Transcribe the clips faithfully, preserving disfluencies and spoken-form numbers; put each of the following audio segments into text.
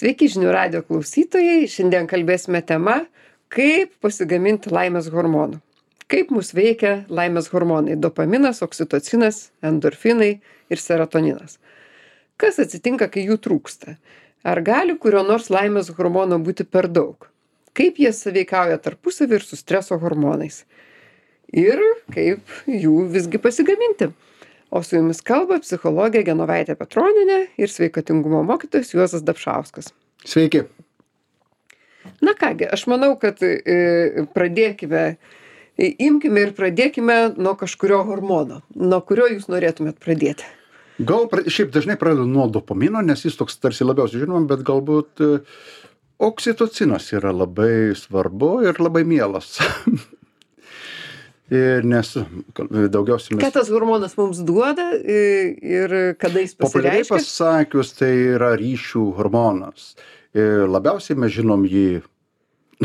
Sveiki žinių radijo klausytojai. Šiandien kalbėsime tema, kaip pasigaminti laimės hormonų. Kaip mus veikia laimės hormonai - dopaminas, oksitocinas, endorfinai ir serotoninas. Kas atsitinka, kai jų trūksta? Ar gali kurio nors laimės hormono būti per daug? Kaip jie sąveikauja tarpusavy ir su streso hormonais? Ir kaip jų visgi pasigaminti? O su jumis kalba psichologė Genovaitė Petronienė ir sveikatingumo mokytojas Juozas Dapšauskas. Sveiki. Na kągi, aš manau, kad e, pradėkime, e, imkime ir pradėkime nuo kažkurio hormono. Nuo kurio jūs norėtumėt pradėti? Gal pra- šiaip dažnai pradedu nuo dopamino, nes jis toks tarsi labiausiai žinom, bet galbūt e, oksitocinas yra labai svarbu ir labai mielas. Ir nes daugiausiai mes... Ką tas hormonas mums duoda e, ir kada jis Populiariai pasireiškia? pasakius, tai yra ryšių hormonas. Ir labiausiai mes žinom jį,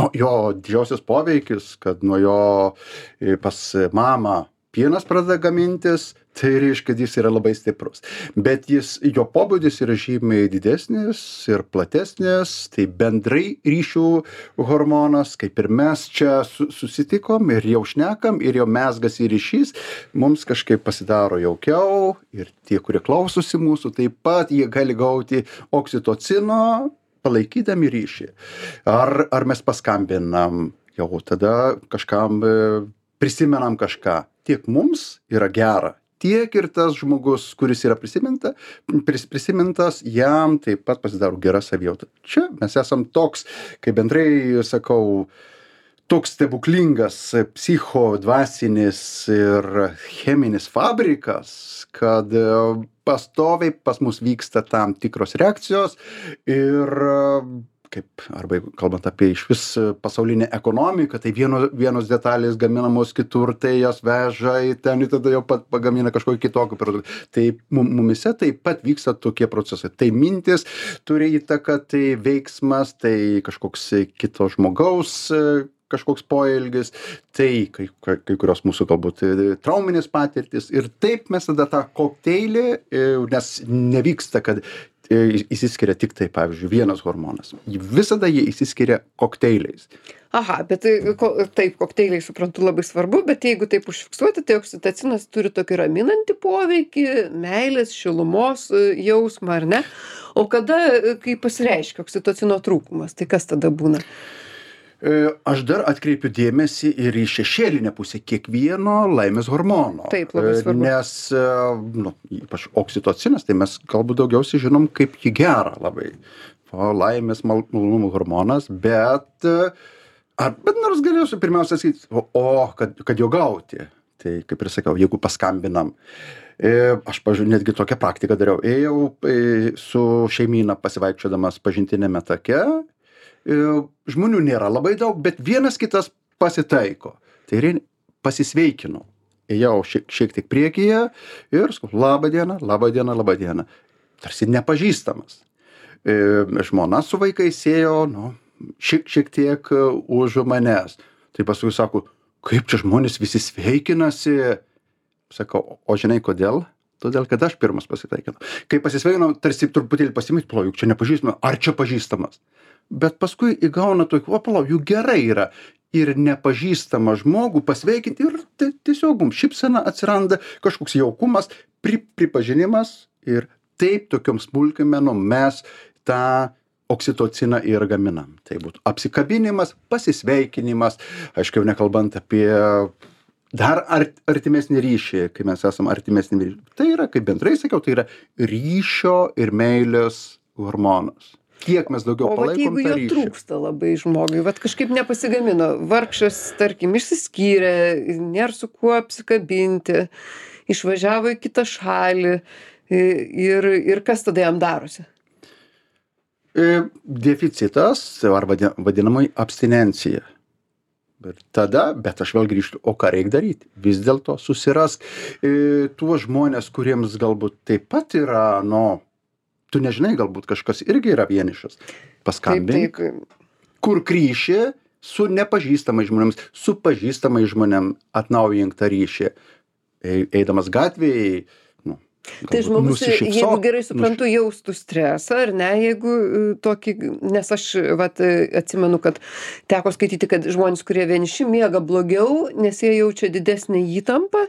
nu, jo didžiausias poveikis, kad nuo jo e, pas mamą pienas pradeda gamintis, tai reiškia, kad jis yra labai stiprus. Bet jis, jo pobūdis yra žymiai didesnis ir platesnis, tai bendrai ryšių hormonas, kaip ir mes čia su, susitikom ir jau šnekam, ir jau mezgasi ryšys, mums kažkaip pasidaro jaukiau ir tie, kurie klausosi mūsų, taip pat jie gali gauti oksitocino, palaikydami ryšį. Ar, ar mes paskambinam, jau tada kažkam e, prisimenam kažką. Tiek mums yra gera, tiek ir tas žmogus, kuris yra prisiminta, pris, prisimintas, jam taip pat pasidaro gera savijauta. Čia mes esam toks, kaip bendrai sakau, toks stebuklingas psicho, dvasinis ir cheminis fabrikas, kad e, pastoviai pas mus vyksta tam tikros reakcijos ir kaip, arba jeigu kalbant apie išvis pasaulinę ekonomiką, tai vieno, vienos detalės gaminamos kitur, tai jas veža į ten ir tada jau pat pagamina kažkokį kitokį produktą. Tai mum- mumise taip pat vyksta tokie procesai. Tai mintis turi įtaką, tai veiksmas, tai kažkoks kito žmogaus e, kažkoks poelgis, tai kai, kai, kai kurios mūsų galbūt e, trauminės patirtis. Ir taip mes tada tą kokteilį, e, nes nevyksta, kad e, įsiskiria tik tai, pavyzdžiui, vienas hormonas. Visada jie įsiskiria kokteiliais. Aha, bet tai, ko, taip, kokteiliai suprantu labai svarbu, bet jeigu taip užfiksuoti, tai oksitocinas turi tokį raminantį poveikį, meilės, šilumos e, jausmą, ar ne? O kada, e, kai pasireiškia oksitocino trūkumas, tai kas tada būna? E, Aš dar atkreipiu dėmesį ir į šešėlinę pusę kiekvieno laimės hormono. Taip, labai E, svarbu. Nes, e, nu, ypač oksitocinas, tai mes galbūt daugiausiai žinom, kaip jį gera labai. O laimės mal- malonumo hormonas, bet, e, ar, bet nors galėsiu pirmiausia sakyti, o, o kad, kad jo gauti. Tai kaip ir sakiau, jeigu paskambinam. E, Aš, pažiūrėjau, netgi tokią praktiką dariau. Ėjau e, su šeimyna pasivaikščiodamas pažintinėme take. E, Žmonių nėra labai daug, bet vienas kitas pasitaiko. Tai ir pasisveikinau. Ėjau šiek, šiek tiek priekyje ir sakau, labą dieną, labą dieną, labą dieną. Tarsi nepažįstamas. E, Žmona su vaikais ėjo, nu, šiek, šiek tiek e, už manęs. Tai paskui sako, kaip čia žmonės visi sveikinasi. Sakau, o žinai kodėl? Todėl, kad aš pirmas pasitaikinau. Kai pasisveikinau, tarsi truputėlį pasimyti, plau, juk čia nepažįstamas, ar čia pažįstamas. Bet paskui įgauna tokį, o plau, juk gerai yra ir nepažįstamą žmogų pasveikinti ir ti- tiesiog mums šypsena atsiranda, kažkoks jaukumas, pri, pripažinimas ir taip tokiom smulkimenom mes tą oksitociną ir gaminam. Tai būtų apsikabinimas, pasisveikinimas, aišku, jau nekalbant apie dar art, artimesnį ryšį, kai mes esam artimesnį ryšį. Tai yra, kaip bendrai sakiau, tai yra ryšio ir meilės hormonas. Kiek mes daugiau O vat palaikom jeigu tą jo ryšį. trūksta labai žmogui, vat kažkaip nepasigamino, vargšas, tarkim, išsiskyrė, nėra su kuo apsikabinti, išvažiavo į kitą šalį i- ir, ir kas tada jam darosi? E, Deficitas, arba vadi- vadinamoji abstinencija. Ir tada, bet aš vėl grįžtu, o ką reikia daryti? Vis dėlto susirask e, tuos žmonės, kuriems galbūt taip pat yra, nu, tu nežinai, galbūt kažkas irgi yra vienišas. Paskambink, taip. kur kryšį su nepažįstamais žmonėms, su pažįstamais žmonėm atnaujink tą ryšį. Ei- Eidamas gatvėje, nu, Tai galbūt žmogus, jeigu nusišypsok, gerai suprantu, jaustų stresą, ar ne, jeigu e, tokį, nes aš vat, e, atsimenu, kad teko skaityti, kad žmonės, kurie vieniši, miega blogiau, nes jie jaučia didesnį įtampą,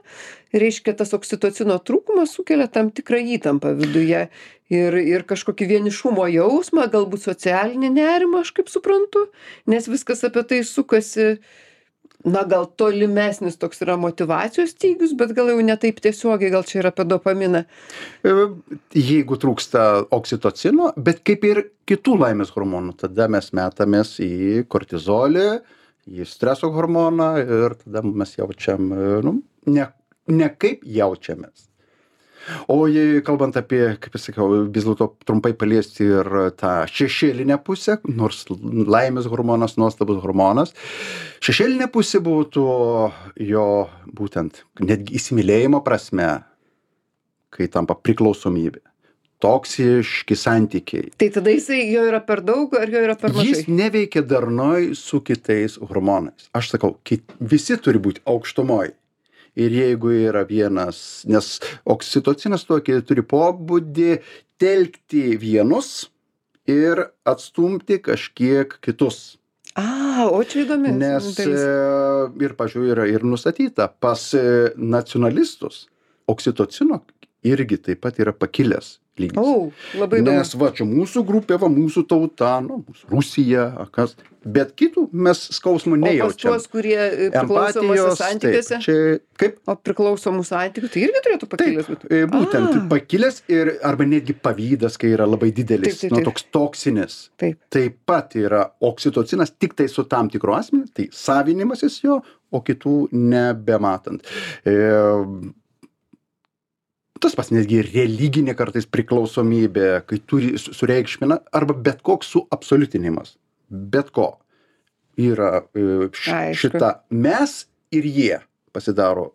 reiškia, tas oksitocino trūkumas sukelia tam tikrą įtampą viduje ir, ir kažkokį vienišumo jausmą, galbūt socialinį nerimą, aš kaip suprantu, nes viskas apie tai sukasi. Na, gal tolimesnis toks yra motyvacijos stygius, bet gal jau ne taip tiesiogiai, gal čia yra apie dopaminą. E, Jeigu trūksta oksitocino, bet kaip ir kitų laimės hormonų, tada mes metamės į kortizolį, į streso hormoną ir tada mes jaučiam, e, nu, ne, ne kaip jaučiamės. O jei kalbant apie, kaip aš sakiau, vis dėlto trumpai paliesti ir tą šešėlinę pusę, nors laimės hormonas, nuostabus hormonas, šešėlinė pusė būtų jo būtent netgi įsimylėjimo prasme, kai tampa priklausomybė, toksiški santykiai. Tai tada jisai jo yra per daug ar jo yra per mažai? Jis neveikia darnoj su kitais hormonais. Aš sakau, kit, visi turi būti aukštumoj. Ir jeigu yra vienas, nes oksitocinas tokį turi pobūdį telkti vienus ir atstumti kažkiek kitus. A, o čia įdomi. Nes dalis. e, ir, pažiūrėjau, yra ir nustatyta, pas e, nacionalistus oksitocino irgi taip pat yra pakilęs lygis. O, labai įdomu. Nes va, čia mūsų grupė, va, mūsų tauta, nu, mūsų Rusija, kas, bet kitų mes skausmų O pas nejaučiam. tuos, kurie e, priklausomuose santykiuose, taip, čia kaip o priklausomų santykių, tai irgi turėtų pakilęs Taip, būti. e, būtent A. pakilęs ir arba netgi pavydas, kai yra labai didelis, Taip, taip, nu, taip. toks toksinis. Taip. Taip pat yra oksitocinas tik tai su tam tikru asmeniu, tai savinimasis jo, o kitų nebematant. E, tas pas netgi religinė kartais priklausomybė, kai turi su- sureikšmina, arba bet koks suabsoliutinimas. Bet ko. Yra e, š, Aišku. šita mes ir jie pasidaro.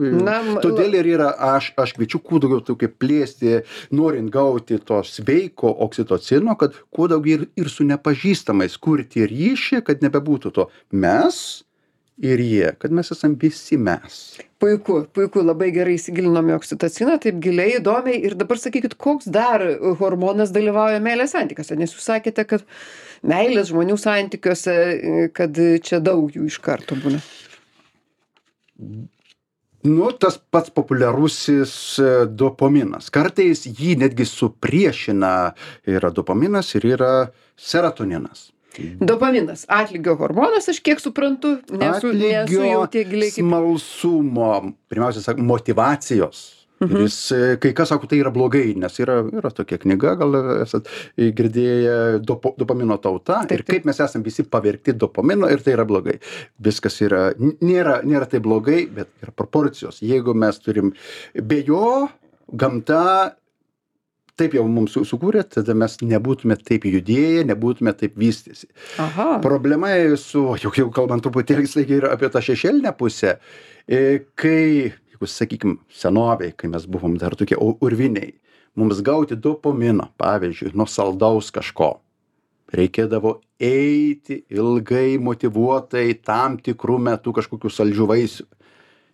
E, Na, m- Todėl ir yra, aš, aš kviečiu kuo daugiau tokio plėsti, norint gauti to sveiko oksitocino, kad kuo daugiau ir, ir su nepažįstamais kurti ryšį, kad nebebūtų to mes ir jie, kad mes esam visi mes. Puiku, puiku, labai gerai įsigilinom į oksitociną, taip giliai, įdomiai. Ir dabar sakykit, koks dar hormonas dalyvauja meilės santykiuose, nes jūs sakėte, kad meilės žmonių santykiuose, kad čia daug jų iš karto būna. Nu, tas pats populiarusis e, dopaminas. Kartais jį netgi supriešina, yra dopaminas ir yra serotoninas. Dopaminas, atlygio hormonas, aš kiek suprantu, nesu, nesu jau tiek giliai kaip... smalsumo, pirmiausia, sak, motyvacijos. Mhm. Jis, e, kai kas sako, tai yra blogai, nes yra, yra tokia knyga, gal esat girdėję, dopo, dopamino tauta, Taip, ir kaip mes esam visi pavergti dopamino ir tai yra blogai. Viskas yra, n- nėra, nėra tai blogai, bet yra proporcijos. Jeigu mes turim be jo, gamta taip jau mums su- sukūrė, tada mes nebūtume taip judėję, nebūtume taip vystėsi. Aha, Problema su, jau, jau kalbant truputėlį slaigiai ir apie tą šešėlinę pusę, e, kai, jeigu sakykim, senovėj, kai mes buvom dar tokie u- urviniai, mums gauti dopamino, pavyzdžiui, nuo saldaus kažko, reikėdavo eiti ilgai, motyvuotai, tam tikrų metų kažkokių saldžių vaisių.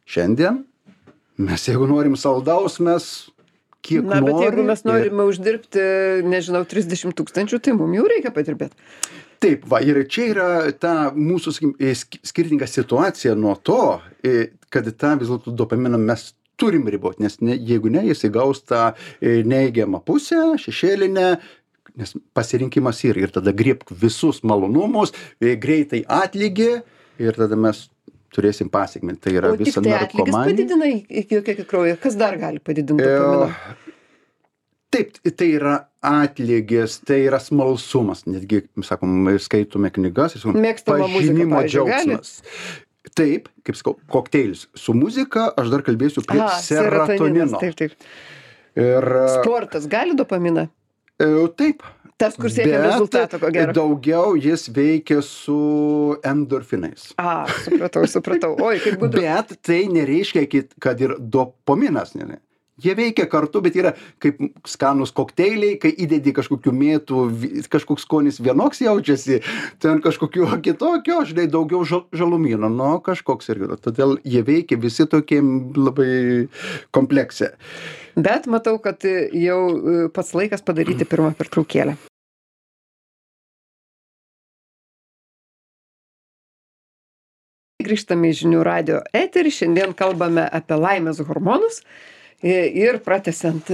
Šiandien mes, jeigu norim saldaus, mes kiek na, bet norim jeigu mes ir- norime uždirbti, nežinau, trisdešimt tūkstančių, tai mums jau reikia padirbėti. Taip, va, ir čia yra ta mūsų, sakykim, e, sk- skirtinga situacija nuo to, e, kad tą vis dėlto dopaminą mes turim riboti, nes ne, jeigu ne, jis įgaus tą e, neigiamą pusę, šešėlinę, nes pasirinkimas yra ir tada griebk visus malonumus, e, greitai atlygį ir tada mes turėsim pasiekmę. Tai yra O tik visa tai atlygis narkomanija. padidina iki kiekį kraują. Kas dar gali padidinti E, dopaminą? Taip, tai yra atlygis, tai yra smalsumas. Netgi, mes sakom, skaitome knygas, ir sakom, Mėgstama muzika, pažinimo pavyzdžiui, gali? džiaugsmas. Taip, kaip sakau, kokteilis. Su muzika aš dar kalbėsiu prie A, serotonino. Taip, taip. Ir Sportas gali dopaminą? e, taip. Tas, kur siekia Bet rezultato, ko gero. daugiau jis veikia su endorfinais. A, supratau, supratau. Oi, kaip gudru. Bet tai nereiškia, kit- kad ir dopaminas. Ne, ne. Jie veikia kartu, bet yra kaip skanūs kokteiliai, kai įdedi kažkokių mėtų, kažkoks skonis vienoks jaučiasi, ten kažkokiu kitokio, žinai, daugiau žalumyno, nu, kažkoks irgi. Todėl jie veikia visi tokie labai komplekse. Bet matau, kad jau pats laikas padaryti pirmą pertraukėlę. Grįžtame į Žinių radijo eterį, šiandien kalbame apie laimės hormonus. Ir pratęsiant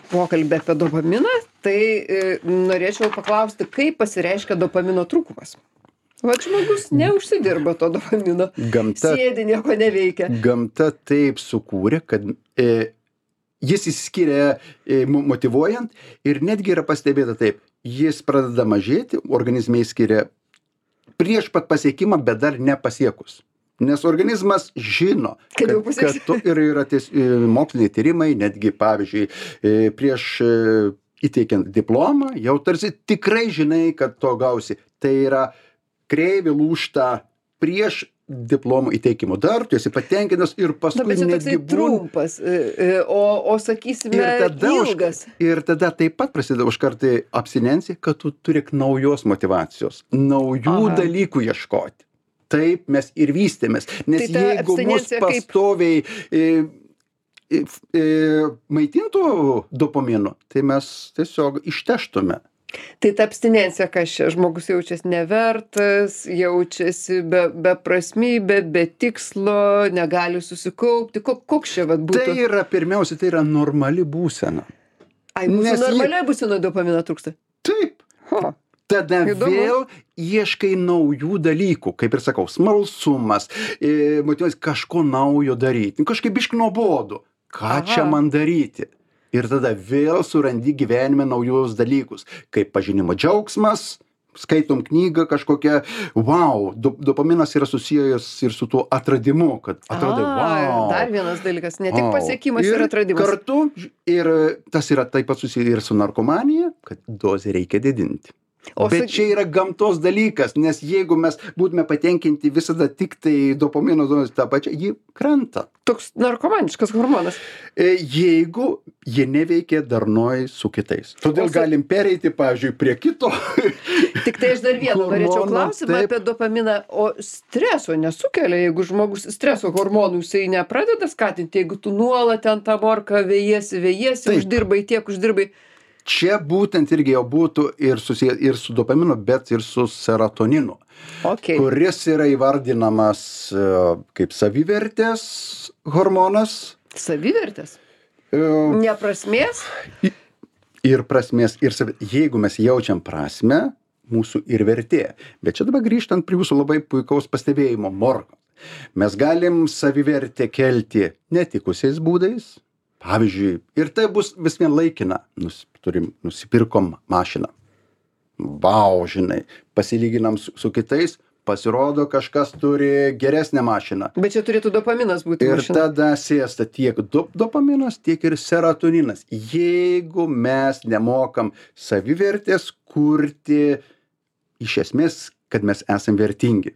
pokalbį apie dopaminą, tai norėčiau paklausti, kaip pasireiškia dopamino trūkumas. Vat žmogus neužsidirba to dopamino, gamta, sėdi, nieko neveikia. Gamta taip sukūrė, kad e, jis įsiskiria e, motyvuojant ir netgi yra pastebėta taip, jis pradeda mažėti, organizme įskiria prieš pat pasiekimą, bet dar nepasiekus. Nes organizmas žino, kad, kad tu ir yra ties, moksliniai tyrimai, netgi pavyzdžiui, prieš įteikiant diplomą, jau tarsi tikrai žinai, kad to gausi. Tai yra kreivė lūžta prieš diplomų įteikimo. Dar tu esi patenkinęs ir paskui netgi būna. Tai trumpas, o, o sakysime, ir tada, ilgas. Už, ir tada taip pat prasideda už kartą abstinencija, kad tu turi naujos motyvacijos, naujų Aha. dalykų ieškoti. Taip mes ir vystėmės, nes tai jeigu mus pastoviai e, e, e, maitintų dopaminu, tai mes tiesiog išteštume. Tai ta abstinencija, kas čia, žmogus jaučiasi nevertas, jaučiasi be, be prasmybė, be tikslo, negali susikaupti, koks čia vat būtų? Tai yra, pirmiausia, tai yra normali būsena. Ai, mūsų normaliai jie... būsena dopamino trūksta? Taip. Ho. Tada Įdomu. Vėl ieškai naujų dalykų, kaip ir sakau, smalsumas, e, motyvas kažko naujo daryti, kažkaip biškai nuobodu, ką Aha. čia man daryti. Ir tada vėl surandi gyvenime naujus dalykus, kaip pažinimo džiaugsmas, skaitom knygą kažkokią, wow, do, dopaminas yra susijęs ir su tuo atradimu, kad atradai, wow. Dar vienas dalykas, ne tik pasiekimas ir, ir atradimas. Kartu, ir tas yra taip pat susiję ir su narkomanija, kad dozę reikia didinti. O Bet čia yra gamtos dalykas, nes jeigu mes būtume patenkinti visada tik tai dopamino dozę tą pačią, ji krenta. Toks narkomaniškas hormonas. Jeigu jie neveikia darnoj su kitais. Todėl su... galim pereiti, pavyzdžiui, prie kito. Tik tai aš dar vieną norėčiau klausimą taip. Apie dopaminą. O streso nesukelia, jeigu žmogus streso hormonų jisai nepradeda skatinti, jeigu tu nuolat ten tą morką vėjiesi, vėjiesi, taip. uždirbai tiek, uždirbai. Čia būtent irgi jau būtų ir susiję ir su dopaminu, bet ir su serotoninu, okay. kuris yra įvardinamas kaip savivertės hormonas. Savivertės? Uh, ne prasmės? Ir prasmės, ir savi... jeigu mes jaučiam prasmę, mūsų ir vertė. Bet čia dabar grįžtant prie jūsų labai puikaus pastebėjimo, morko. Mes galim savivertę kelti netikusiais būdais. Pavyzdžiui, ir tai bus vis vien laikina, Nus, turim, nusipirkom mašiną. Vau, žinai, pasilyginam su, su kitais, pasirodo kažkas turi geresnę mašiną. Bet čia turėtų dopaminas būti ir mašina. Tada sėsta tiek do, dopaminas, tiek ir serotoninas. Jeigu mes nemokam savivertės kurti iš esmės, kad mes esam vertingi.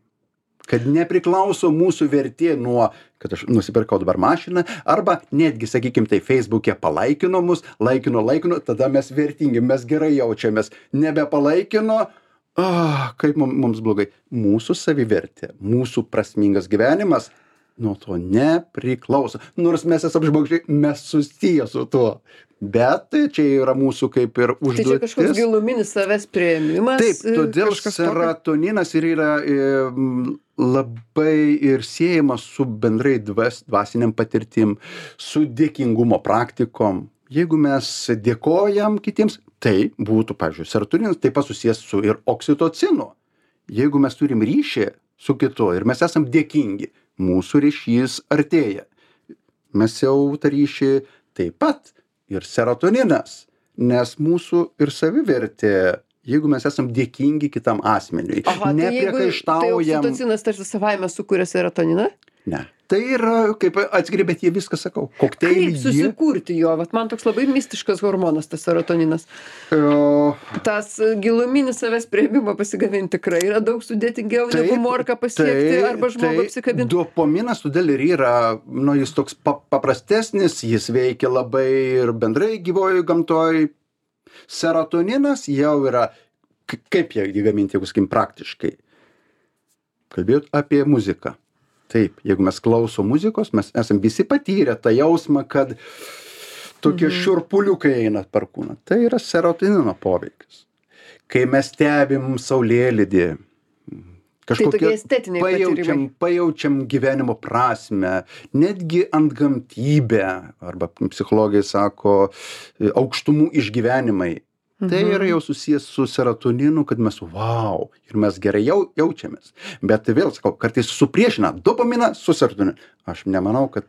Kad nepriklauso mūsų vertė nuo, kad aš nusipirkau dabar mašiną, arba netgi, sakykim, tai Facebook'e palaikino mus, laikino, laikino, tada mes vertingi, mes gerai jaučiamės. Nebepalaikino, ah, kaip mums blogai. Mūsų savivertė, mūsų prasmingas gyvenimas nuo to nepriklauso. Nors mes esam žmogžiai, mes susiję su tuo. Bet tai čia yra mūsų kaip ir užduotis. Tai čia kažkoks giluminis savęs priėmimas. Taip, todėl serotoninas ir yra e, labai ir siejamas su bendrai dvas, dvasiniam patirtim, su dėkingumo praktikom. Jeigu mes dėkojam kitiems, tai būtų, pavyzdžiui, serotoninas taip pat susijęs su ir oksitocinu. Jeigu mes turim ryšį su kitu ir mes esam dėkingi, mūsų ryšys artėja. Mes jau tą ryšį taip pat ir serotoninas, nes mūsų ir savivertė, jeigu mes esam dėkingi kitam asmeniui, Aha, nepriekaištaujam. Tai oksitocinas tarsi savaime sukuria serotoniną? ne. Tai yra kaip atskiri, bet jie viską sakau. Kokteilį Kaip susikurti jo? Vat man toks labai mistiškas hormonas, tas serotoninas. O, Tas giluminis savęs priėmimo pasigaminti tikrai yra daug sudėtingiau Taip, negu morką pasiekti tai- arba žmogų tai apsikabinti. Dopaminas todėl ir yra, nu, jis toks pa- paprastesnis, jis veikia labai ir bendrai gyvojoj gamtoj. Serotoninas jau yra, k- kaip jie jį gaminti, jeigu sakykim praktiškai. Kalbėjot apie muziką. Taip, jeigu mes klausom muzikos, mes esam visi patyrę tą jausmą, kad tokie šiurpuliukai eina per kūną. Tai yra serotonino poveikis. Kai mes stebim saulėlydį, Tai tokie estetiniai pajaučiam, patyrimai. pajaučiam gyvenimo prasmę, netgi antgamtybę, arba psichologai sako, aukštumų išgyvenimai. Tai yra jau susijęs su serotoninu, kad mes wow, ir mes gerai jau, jaučiamės. Bet tai vėl sakau, kartais supriešina dopaminą su serotoninu. Aš nemanau, kad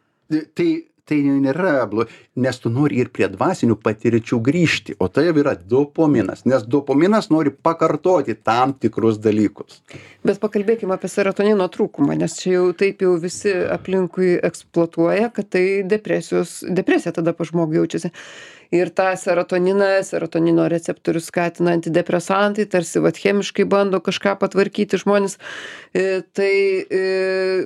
tai, tai nėra blogai, nes tu nori ir prie dvasinių patirčių grįžti, o tai jau yra dopaminas, nes dopaminas nori pakartoti tam tikrus dalykus. Bet pakalbėkime apie serotonino trūkumą, nes čia jau taip jau visi aplinkui eksploatuoja, kad tai depresijos, depresija tada pa žmogų jaučiasi. Ir tą serotoniną, serotonino receptorius skatina antidepresantai, tarsi vat chemiškai bando kažką patvarkyti žmonės. E, tai e,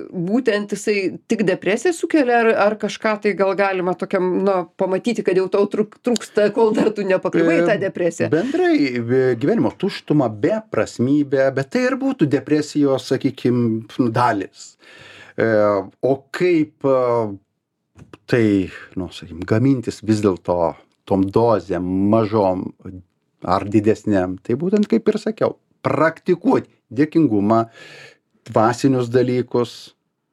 būtent jisai tik depresiją sukelia, ar, ar kažką tai gal galima tokiam, nu, pamatyti, kad jau tau trūk, trūksta, kol dar tu nepakliuvai į tą depresiją. Bendrai e, gyvenimo tuštuma, beprasmybė, bet tai ir būtų depresijos, sakykim, dalis. E, o kaip e, tai, nu, sakykim, gamintis vis dėlto tom dozėm, mažom ar didesniam, tai būtent kaip ir sakiau, praktikuoti dėkingumą, dvasinius dalykus,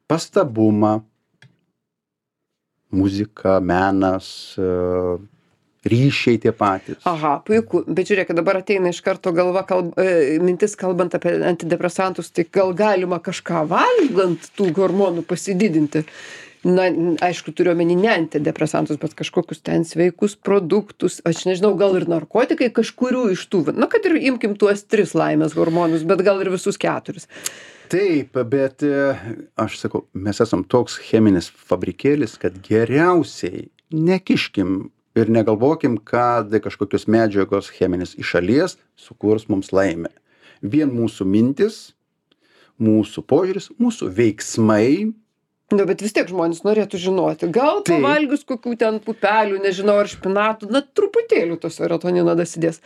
pastabumą, muzika, menas, e, ryšiai tie patys. Aha, puiku. Bet žiūrėk, dabar ateina iš karto galva, kalb, e, mintis kalbant apie antidepresantus, tai gal galima kažką valgant tų hormonų pasididinti. Na, aišku, turiu omeny ne antidepresantus, bet kažkokius ten sveikus produktus. Aš nežinau, gal ir narkotikai kažkurių iš tų. Na, kad ir imkim tuos tris laimės hormonus, bet gal ir visus keturis. Taip, bet e, aš sakau, mes esam toks cheminis fabrikėlis, kad geriausiai nekiškim ir negalvokim, kad kažkokios medžiagos cheminės iš šalies sukurs mums laimę. Vien mūsų mintis, mūsų požiūris, mūsų veiksmai. Na, bet vis tiek žmonės norėtų žinoti. Gal Taip. pavalgius kokių ten pupelių, nežinau, ar špinatų, na, truputėlių to serotonino dasidės.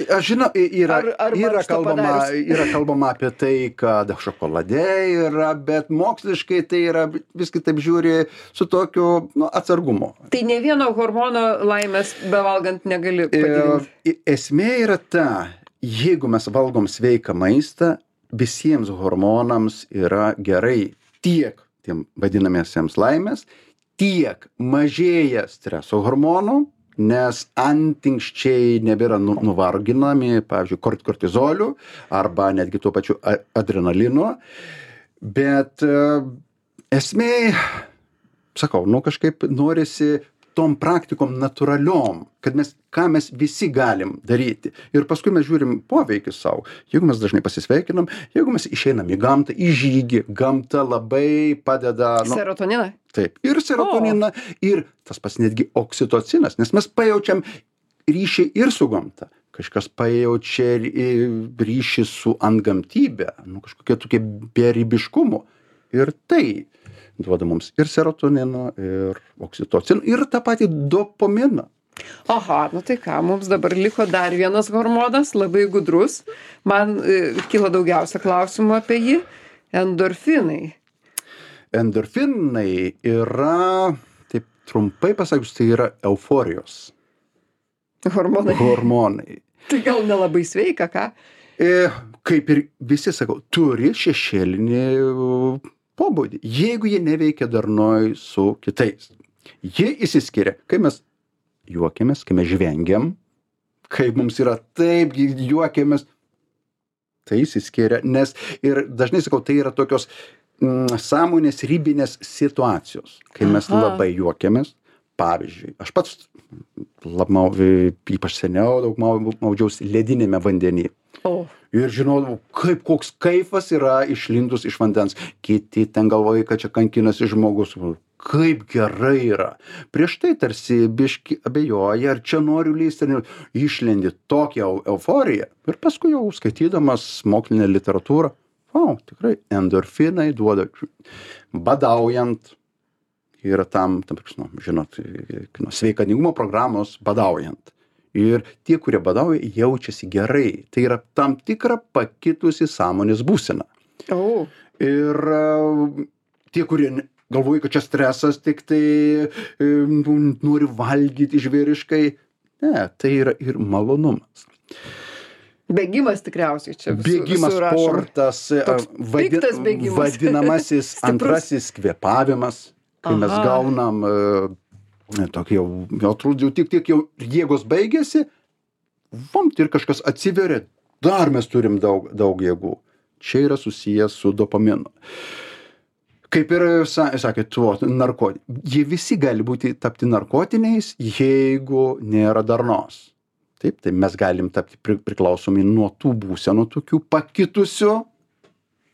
Aš žinau, yra, Ar- ar yra, mankštą kalbama, padarius? yra kalbama apie tai, kad šokolade yra, bet moksliškai tai yra, viskai taip žiūri su tokiu nu, atsargumu. Tai ne vieno hormono laimės bevalgant negali padidinti. Ir esmė yra ta, jeigu mes valgom sveiką maistą, visiems hormonams yra gerai tiek tiem vadinamiesiems laimės, tiek mažėja streso hormonų, nes antinkščiai nebėra nu, nuvarginami, pavyzdžiui, kort- kortizoliu arba netgi tuo pačiu a- adrenalinu. Bet e, esmė, sakau, nu kažkaip norisi tom praktikom natūraliom, kad mes, ką mes visi galim daryti. Ir paskui mes žiūrim poveikį savo. Jeigu mes dažnai pasisveikinam, jeigu mes išeinam į gamtą, į žygį, gamta labai padeda. Nu, Serotoniną? taip, ir serotoniną, ir tas pats netgi oksitocinas, nes mes pajaučiam ryšį ir su gamta. Kažkas pajaučia ry- ryšį su antgamtybe, nu kažkokie tokie beribiškumo. Ir tai duoda mums ir serotonino, ir oksitocino, ir tą patį dopaminą. Aha, nu tai ką, mums dabar liko dar vienas hormonas, labai gudrus. Man e, kilo daugiausia klausimų apie jį. Endorfinai. Endorfinai yra, taip trumpai pasakius, tai yra euforijos Hormonai. hormonai. Tai gal nelabai sveika, ką? E, kaip ir visi sakau, turi šešėlinį pobūdį, jeigu jie neveikia darnoj su kitais. Jie išsiskiria, kai mes juokiamės, kai mes žvengiam, kai mums yra taip, juokiamės, tai išsiskiria, nes ir dažnai sakau, tai yra tokios mm, sąmonės ribinės situacijos, kai mes Aha. labai juokiamės. Pavyzdžiui, aš pats labmau, ypač seniau daug mau- maudžiausi ledinėme vandenyje. O, ir žinodavau, kaip koks kaifas yra išlindus iš vandens. Kiti ten galvoja, kad čia kankinasi žmogus. Kaip gerai yra. Prieš tai tarsi biški abejoja, ar čia noriu lysti, ar ne. Išlendi tokią eu- euforiją. Ir paskui jau skaitydamas mokslinę literatūrą, o, tikrai, endorfinai duoda. Badaujant, yra tam, tam nu, žinot, nu, sveikatingumo programos badaujant. Ir tie, kurie badauja, jaučiasi gerai. Tai yra tam tikra pakitusi sąmonės būsena. O, Ir e, tie, kurie ne- galvoja, kad čia stresas, tik tai e, nu, nori valgyti žvėriškai. Ne, tai yra ir malonumas. bėgimas tikriausiai čia visų, Bėgimas, visų rašoma. sportas, e, Toks vadi- piktas bėgimas. vadinamasis Stiprus. antrasis kvėpavimas, kai mes Aha. gaunam e, tokį jau, jau atrodo, jau tik tiek jau jėgos baigėsi, vamt ir kažkas atsiveria, dar mes turim daug, daug jėgų. Čia yra susijęs su dopaminu. Kaip ir sa- sakė, tuo narkotiniai. Jie visi gali būti tapti narkotiniais, jeigu nėra darnos. Taip, tai mes galim tapti pri- priklausomi nuo tų būsenų tokių pakitusių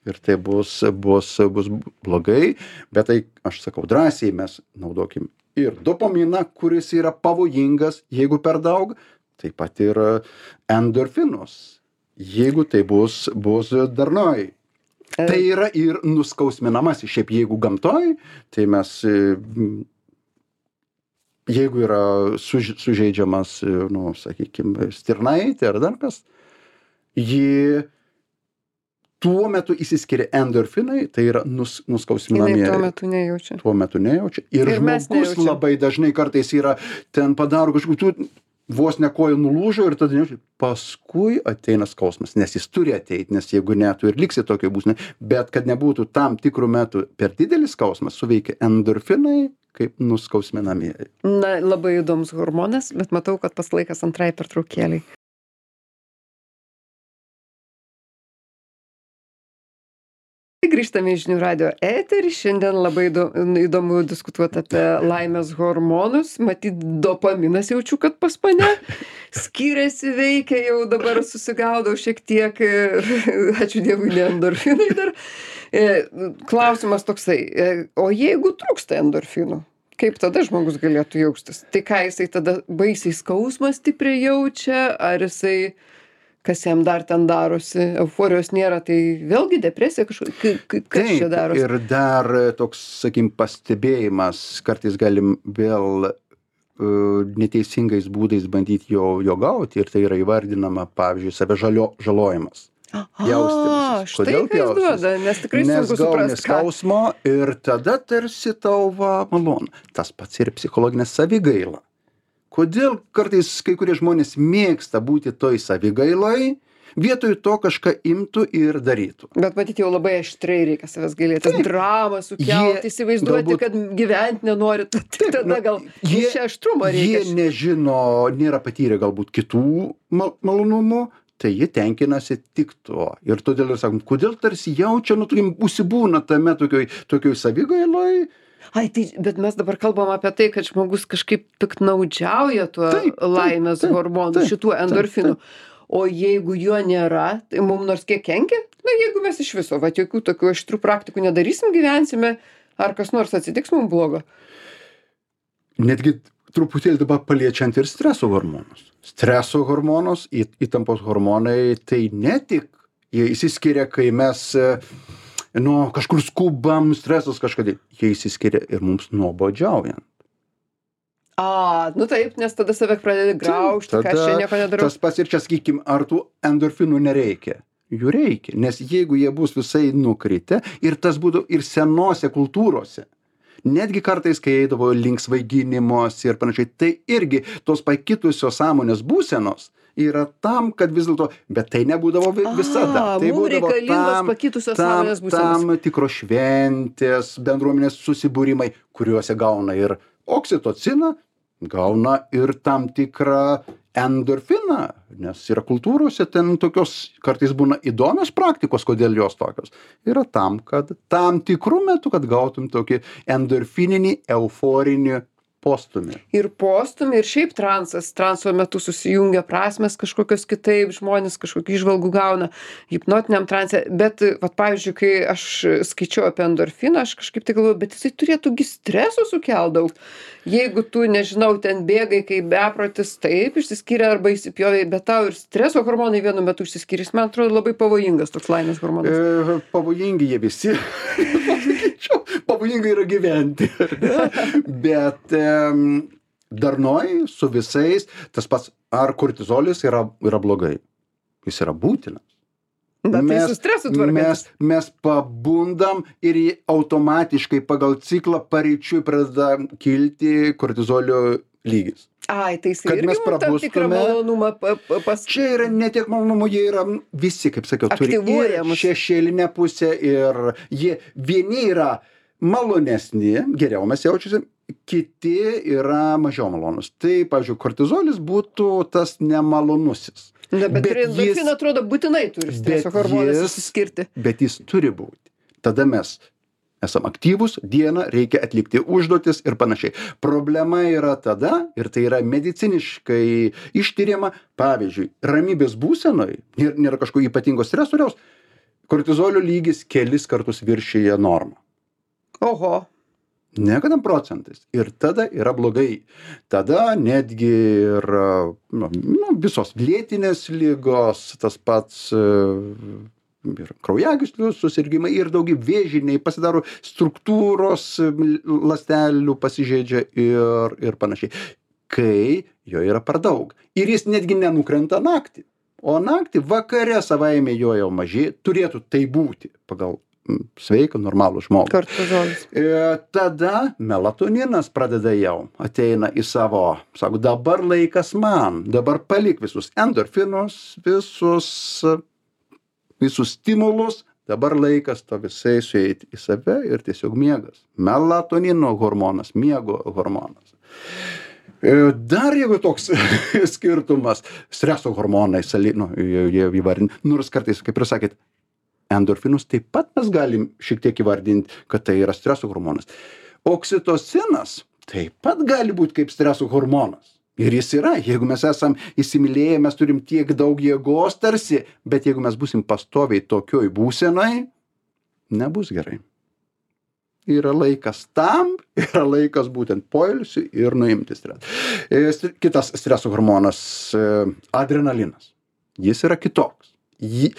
ir tai bus, bus, bus blogai, bet tai, aš sakau, drąsiai mes naudokim ir dopaminą, kuris yra pavojingas, jeigu per daug, taip pat ir endorfinus, jeigu tai bus, bus darnoj. Tai yra ir nuskausminamasis. Šiaip jeigu gamtoj, tai mes, e, m, jeigu yra suž, sužeidžiamas, e, nu, sakykime, stirnaitė ar dar kas, ji tuo metu įsiskiria endorfinai, tai yra nus, Jinai nuskausminamieji. tuo metu nejaučia. Tuo metu nejaučia. Ir, Ir mes žmogus nejaučiam. labai dažnai kartais yra, ten padaro kažkokių, vos ne koja nulūžo ir tada nejaučia. Paskui ateina skausmas, nes jis turi ateiti, nes jeigu ne, tu ir liksi tokioj būsenoj. Bet kad nebūtų tam tikrų metų per didelis skausmas, suveikia endorfinai kaip nuskausminamieji. Na, labai įdomus hormonas, bet matau, kad pas laikas antrai pertraukėliai. Grįžtame į žinių radio eterį. Šiandien labai įdo- įdomu diskutuoti apie laimės hormonus. Matyt, dopaminas jaučiu, kad pas mane skiriasi, veikia, jau dabar susigaudau šiek tiek. Ačiū Dievui, ne endorfinai dar. E, Klausimas toksai, e, o jeigu trūksta endorfinų? Kaip tada žmogus galėtų jaustis? Tai ką jisai tada baisiai skausmą stipriai jaučia, ar jisai, kas jam dar ten darosi, euforijos nėra, tai vėlgi depresija kažkokia, kas čia darosi? Ir dar toks, sakykim, pastebėjimas, kartais galim vėl uh, neteisingais būdais bandyti jo, jo gauti ir tai yra įvardinama, pavyzdžiui, save žalio, žalojimas. A, štai Kodėl ką jis pjaustytis? duoda, nes tikrai Nes sunku gauni suprasti, ką. skausmo ir tada tarsi tau va malonu. Tas pats ir psichologinė savigaila. Kodėl kartais kai kurie žmonės mėgsta būti toj savigailoj, vietoj to kažką imtų ir darytų. Bet matyt, jau labai aštriai reikia savęs gailėti. Tas dramą sukelti, Jie įsivaizduoti, galbūt- kad gyventi nenori. Tik Taip, tada nu, gal jie- čia aštrumo reikia. Jie nežino, nėra patyrę galbūt kitų mal malonumų, tai jie tenkinasi tik tuo. Ir todėl ir sakom, kodėl tarsi jaučia, nu, tokiam užsibūna tame tokioj, tokioj savigailoj. Ai, tai, bet mes dabar kalbam apie tai, kad žmogus kažkaip piknaudžiauja tuo Taip, taip, laimės taip, hormonu, taip, šituo taip, endorfinu. O jeigu jo nėra, tai mums nors kiek kenkia? Na, jeigu mes iš viso, va, jokių tokių aštrių praktikų nedarysim, gyvensime, ar kas nors atsitiks mums blogo? Netgi truputėlį dabar paliečiant ir streso hormonus. Streso hormonus, į- įtampos hormonai, tai ne tik jie išsiskiria, kai mes e, nu, kažkur skubam, stresas kažkada, jie išsiskiria ir mums nuobodžiaujant. A, nu taip, nes tada save pradedi graužti, ką aš čia nieko nedarau. Tas pats ir čia, sakykim, ar tų endorfinų nereikia? Jų reikia, nes jeigu jie bus visai nukritę ir tas būtų ir senose kultūrose, netgi kartais, kai eidavo link svaiginimos ir panašiai, tai irgi tos pakitusios sąmonės būsenos yra tam, kad vis dėlto, bet tai nebūdavo vi- visada. A, Tai mum būdavo reikalingos tam, pakitusios tam, sąmonės būsenos. tam tikros šventės, bendruomenės susibūrimai, kuriuose gauna ir oksitociną, gauna ir tam tikrą endorfiną, nes yra kultūrose ten tokios kartais būna įdomios praktikos, kodėl jos tokios. Yra tam, kad tam tikrų metų, kad gautum tokį endorfininį, euforinį postūmį. Ir postūmį, ir šiaip transas. Transo metu susijungia prasmės kažkokios kitaip, žmonės kažkokių įžvalgų gauna hipnotiniam transe. Bet, vat, pavyzdžiui, kai aš skaičiau apie endorfiną, aš kažkaip tai galvoju, bet jisai turėtų gi streso sukelt daug. Jeigu tu, nežinau, ten bėgai kaip beprotis, taip, išsiskyrė arba įsipjovė, bet tau ir streso hormonai vienu metu išsiskyrė. Man atrodo labai pavojingas toks laimės hormonas. E, pavojingi jie visi. Pavojinga yra gyventi. Bet um, darnoj su visais tas pats, ar kortizolis yra, yra blogai. Jis yra būtinas. Bet tai su stresu tvarkantis. Mes, mes pabundam ir jį automatiškai pagal ciklą paryčiui pradeda kilti kortizolio lygis. Ai, tai jis Kad irgi mes mum tam tikrą prabustume. malonumą pa, pa, pas... Čia yra ne tiek malonumų, jie yra visi, kaip sakiau, turi Aktyvuoja ir mus. šešėlinę pusę ir jie vieni yra malonesni, geriau mes jaučiasi, kiti yra mažiau malonus. Tai, pavyzdžiui, kortizolis būtų tas nemalonusis. Na, bet, Bet bet endorfiną jis- atrodo būtinai turi streso bet hormonas jis- išsiskirti. Bet jis turi būti. Tada mes esam aktyvūs, dieną reikia atlikti užduotis ir panašiai. Problema yra tada, ir tai yra mediciniškai ištiriama, pavyzdžiui, ramybės būsenoj, nėra, nėra kažkokio ypatingo stresoriaus, kortizolio lygis kelis kartus viršyje normą. Oho. Ne kad procentais. Ir tada yra blogai. Tada netgi ir nu, nu, visos lėtinės ligos, tas pats e, ir kraujagyslių susirgimai, ir daugiau vėžiniai pasidaro struktūros e, ląstelių pasižeidžia ir, ir panašiai. Kai jo yra per daug. Ir jis netgi nenukrenta naktį. O naktį vakare savaime jo jau mažėja, turėtų tai būti pagal sveiką, normalų žmogų. Kortizolis. E, tada melatoninas pradeda jau, ateina į savo, sako, dabar laikas man, dabar palik visus endorfinus, visus, visus stimulus, dabar laikas to visai sueiti į save ir tiesiog miegas. Melatonino hormonas, miego hormonas. E, dar jeigu toks skirtumas, streso hormonai, sali, nu, jie, jie įvardinti, nors kartais, kaip ir sakėt, endorfinus taip pat mes galim šiek tiek įvardinti, kad tai yra streso hormonas. Oksitocinas taip pat gali būti kaip streso hormonas. Ir jis yra, jeigu mes esam įsimylėję, mes turim tiek daug jėgos tarsi, bet jeigu mes būsim pastoviai tokioj būsenai, nebus gerai. Yra laikas tam, yra laikas būtent poilsiui ir nuimti stresą. E, Kitas streso hormonas e, adrenalinas. Jis yra kitoks. Jį,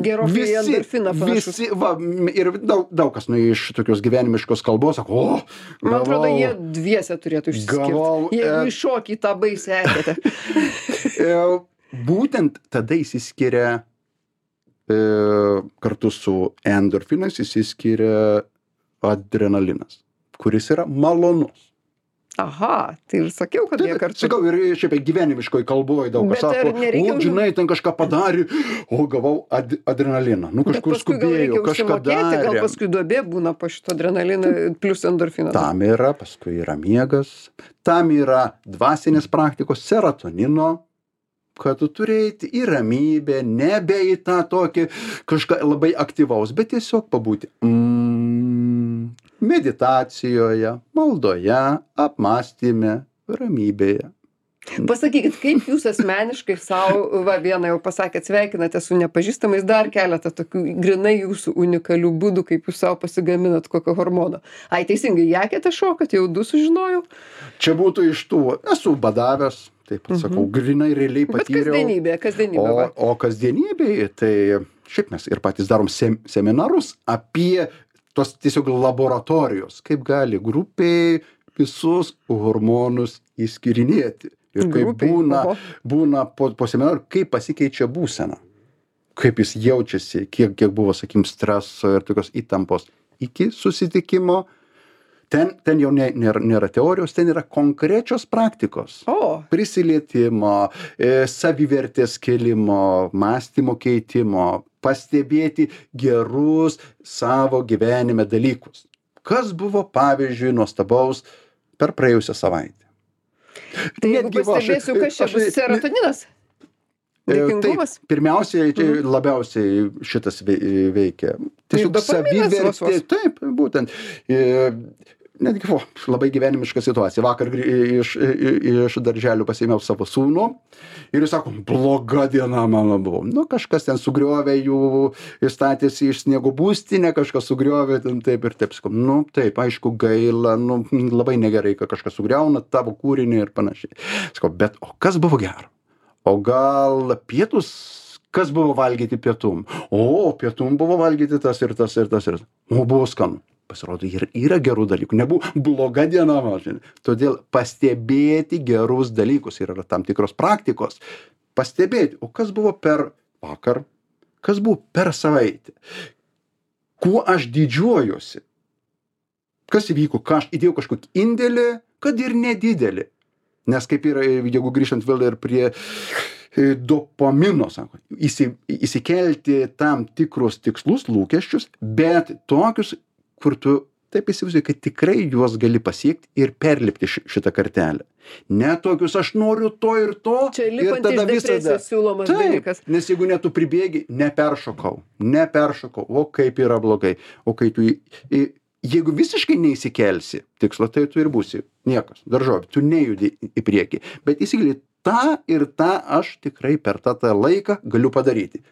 Gerokai į endorfiną panašus. visi, va, m- ir daug, daug kas nu, iš tokios gyvenimiškos kalbos sako, o, Man atrodo, gavau, jie dviese turėtų išsiskirti. gavau, Jeigu e- iššokį į tą baisę eketę. e, būtent tada įsiskiria e, kartu su endorfinais įsiskiria adrenalinas, kuris yra malonus. Aha, tai ir sakiau, kad jie Taip, kartu. sakau, ir šiaip gyvenimiškoj kalboj daug kas Bet ar sako, nereikia o, už- žinai, ten kažką padarė, o, gavau ad, adrenaliną. Nu, Bet kažkur paskui gal skubėjau, reikia kažką užsimokėti, gal darė. paskui duobė būna po šito adrenalino plus endorfino. Tam yra, paskui yra miegas, tam yra dvasinės praktikos, serotonino, kad tu turėti į ramybę, nebe į tą tokį kažką labai aktyvaus, bet tiesiog pabūti mm, meditacijoje, maldoje, apmąstyme, ramybėje. Pasakykit, kaip jūs asmeniškai savo, va vieną jau pasakėt, sveikinate su nepažįstamais, dar keletą tokių grinai jūsų unikalių būdų, kaip jūs savo pasigaminat kokio hormono. Ai, teisingai, jakėte šokat, jau du sužinojau. Čia būtų iš tų, esu badavęs, taip pat sakau, grinai realiai Bet patyriau. kasdienybė, kasdienybė. O, va. o kasdienybėje, tai šiaip mes ir patys darom sem, seminarus apie tos tiesiog laboratorijos, kaip gali grupiai visus hormonus įskirinėti. Ir kaip Grupei, būna, oho. būna po, po seminarų, kaip pasikeičia būsena. Kaip jis jaučiasi, kiek, kiek buvo, sakykim, streso ir tokios įtampos iki susitikimo. Ten, ten jau ne, nėra, nėra teorijos, ten yra konkrečios praktikos. O, Prisilietimo, e, savivertės kėlimo, mąstymo keitimo, pastebėti gerus savo gyvenime dalykus. Kas buvo, pavyzdžiui, nuostabaus per praėjusią savaitę. tai jeigu Netgi va, aš- pastebėsiu, kas čia aš- bus serotoninas? E, Dėkingumas? Taip, pirmiausiai, čia labiausiai šitas vei- veikia. Tiesiog dopaminas vos savivertė. vos. Taip, būtent. E, netgi vo, labai gyvenimiška situacija. Vakar grį- iš, iš darželių pasiėmiau savo sūnų ir jis sako, bloga diena mano buvo. Nu, kažkas ten sugriovė jų, statėsi iš sniego būstinę, kažkas sugriovė ten taip ir taip. Sakau, nu taip, aišku, gaila, nu, labai negerai, kad kažkas sugriauna tavo kūrinį ir panašiai. Sakau, bet o kas buvo gero? O gal pietus, kas buvo valgyti pietum? O, pietum buvo valgyti tas ir tas ir tas ir tas. O, buvo skanu. Pasirodo, ir yra gerų dalykų. Nebuvo bloga diena, mažinė. Todėl pastebėti gerus dalykus ir yra tam tikros praktikos. Pastebėti, o kas buvo per vakar, kas buvo per savaitę. Kuo aš didžiuojuosi. Kas įvyko, ką aš įdėjau kažkokį indėlį, kad ir nedidelį. Nes kaip yra, jeigu grįžtant vėl ir prie dopamino, sako, įsi, įsikelti tam tikrus tikslus, lūkesčius, bet tokius, kur tu taip įsivaizduoji, kad tikrai juos gali pasiekti ir perlipti ši- šitą kartelę. Ne tokius, aš noriu to ir to. Čia ir lipant iš depresijos siūlomas Taip, dalykas. nes jeigu ne tu pribėgi, neperšokau, neperšokau, o kaip yra blogai. O kai tu, į, į, jeigu visiškai neįsikelsi tikslo, tai tu ir būsi niekas, daržovė, tu nejudi į priekį. Bet įsigili, tą ir tą aš tikrai per tą, tą laiką galiu padaryti.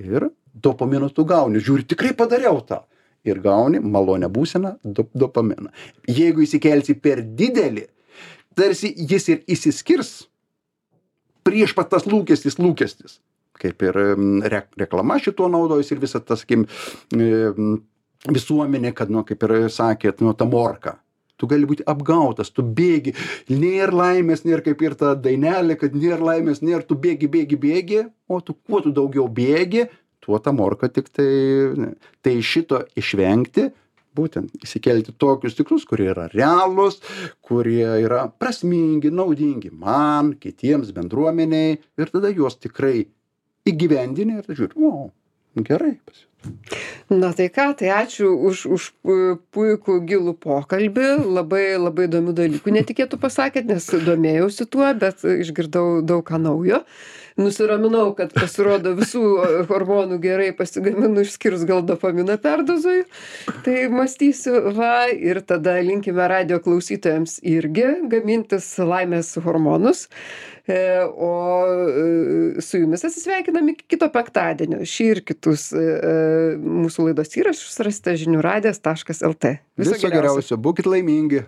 Ir dopamino tu gauni, žiūri, tikrai padariau tą. Ir gauni malonę būseną, dop, dopaminą. Jeigu įsikelsi per didelį, tarsi jis ir įsiskirs prieš pat tas lūkestis, lūkestis. Kaip ir mm, re, reklama šituo naudojus ir visa tas, sakykim, mm, visuomenė, kad, nu, kaip ir sakėt, nu, ta morka. Tu gali būti apgautas, tu bėgi, nėra laimės, nėra kaip ir ta dainelė, kad nėra laimės, nėra, tu bėgi, bėgi, bėgi, o tu kuo tu daugiau bėgi, tuo ta morka tik tai, tai šito išvengti, būtent įsikelti tokius tikslus, kurie yra realūs, kurie yra prasmingi, naudingi man, kitiems, bendruomeniai, ir tada juos tikrai įgyvendini ir žiūri, o, gerai pas. Na tai ką, tai ačiū už, už pu- puikų gilų pokalbį, labai labai įdomių dalykų netikėtų pasakėt, nes domėjausi tuo, bet išgirdau daug ką naujo. Nusiraminau, kad pasirodo visų hormonų gerai pasigaminu, išskyrus gal dopaminą perdozuoju. Tai mąstysiu, va, ir tada linkime radijo klausytojams irgi gamintis laimės hormonus. E, o e, su jumis atsisveikinam iki kito penktadienio. Šį ir kitus e, mūsų laidos įrašus rasite žinių radijas taškas lt. Viso geriausio, būkit laimingi.